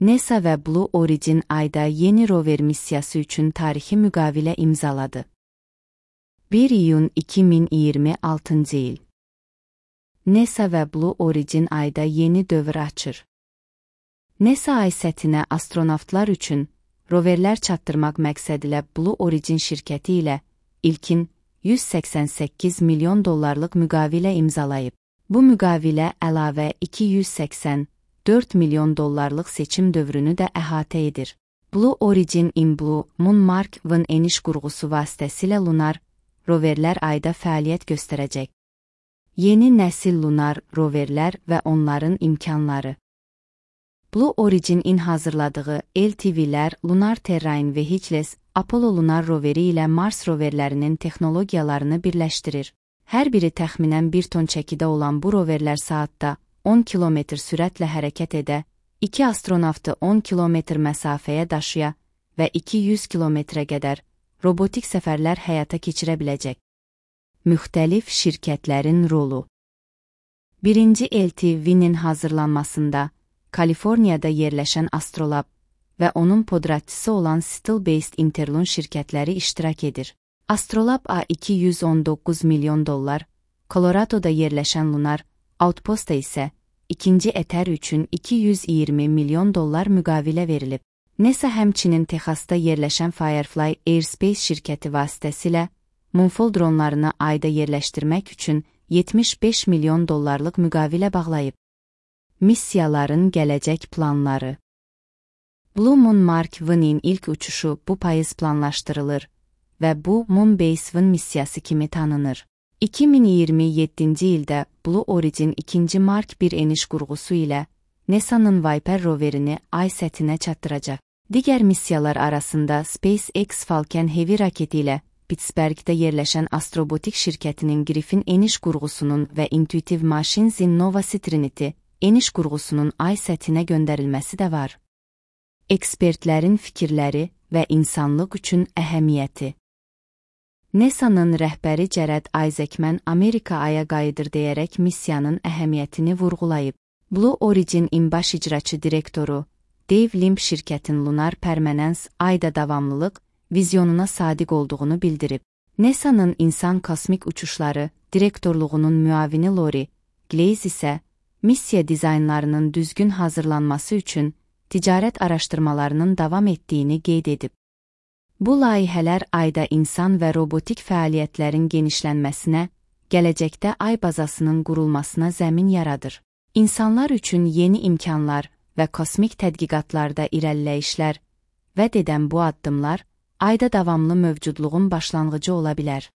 NASA və Blue Origin ayda yeni rover missiyası üçün tarixi müqavilə imzaladı. 1 iyun 2026 il. NASA və Blue Origin ayda yeni dövr açır. NASA ay səthinə astronavtlar üçün roverlər çatdırmaq məqsədilə Blue Origin şirkəti ilə ilkin $188 milyon müqavilə imzalayıb. Bu müqavilə əlavə $284 milyon seçim dövrünü də əhatə edir. Blue Origin in Blue Moon Mark 1 eniş qurğusu vasitəsilə lunar roverlər ayda fəaliyyət göstərəcək. Yeni nəsil lunar roverlər və onların imkanları. Blue Origin-in hazırladığı LTV-lər Lunar Terrain Vehicles Apollo lunar roveri ilə Mars roverlərinin texnologiyalarını birləşdirir. Hər biri təxminən 1 ton çəkidə olan bu roverlər saatda 10 km sürətlə hərəkət edə, 2 astronavtı 10 km məsafəyə daşıya və 200 km-ə qədər robotik səfərlər həyata keçirə biləcək. Müxtəlif şirkətlərin rolu. Birinci LTV-nin hazırlanmasında Kaliforniyada yerləşən Astrolab və onun podratçısı olan Still-Based Interlun şirkətləri iştirak edir. Astrolab $219 milyon, Coloradoda yerləşən Lunar Outpost-a isə ikinci ətər üçün $220 milyon müqavilə verilib. NASA həmçinin Texasda yerləşən Firefly Airspace şirkəti vasitəsilə Moonfall dronlarını ayda yerləşdirmək üçün $75 milyon müqavilə bağlayıb. Missiyaların gələcək planları. Blue Moon Mark 1-in ilk uçuşu bu payız planlaşdırılır və bu Moon Base 1 missiyası kimi tanınır. 2027-ci ildə Blue Origin 2. Mark 1 eniş qurğusu ilə NASA'nın Viper roverini ay səthinə çatdıracaq. Digər missiyalar arasında SpaceX Falcon Heavy raketi ilə Pittsburghdə yerləşən Astrobotik şirkətinin Griffin eniş qurğusunun və Intuitive Machines-in Nova Trinity eniş qurğusunun ay səthinə göndərilməsi də var. Ekspertlərin fikirləri və insanlıq üçün əhəmiyyəti. NASA'nın rəhbəri Jared Isaacman Amerika aya qayıdır deyərək missiyanın əhəmiyyətini vurğulayıb. Blue Origin-in baş icraçı direktoru Dave Limp şirkətin lunar permanence ayda davamlılıq vizyonuna sadiq olduğunu bildirib. NASA'nın insan kosmik uçuşları direktorluğunun müavini Lori Glaze isə missiya dizaynlarının düzgün hazırlanması üçün ticarət araşdırmalarının davam etdiyini qeyd edib. Bu layihələr ayda insan və robotik fəaliyyətlərin genişlənməsinə, gələcəkdə ay bazasının qurulmasına zəmin yaradır. İnsanlar üçün yeni imkanlar və kosmik tədqiqatlarda irəliləyişlər vəd edən bu addımlar ayda davamlı mövcudluğun başlanğıcı ola bilər.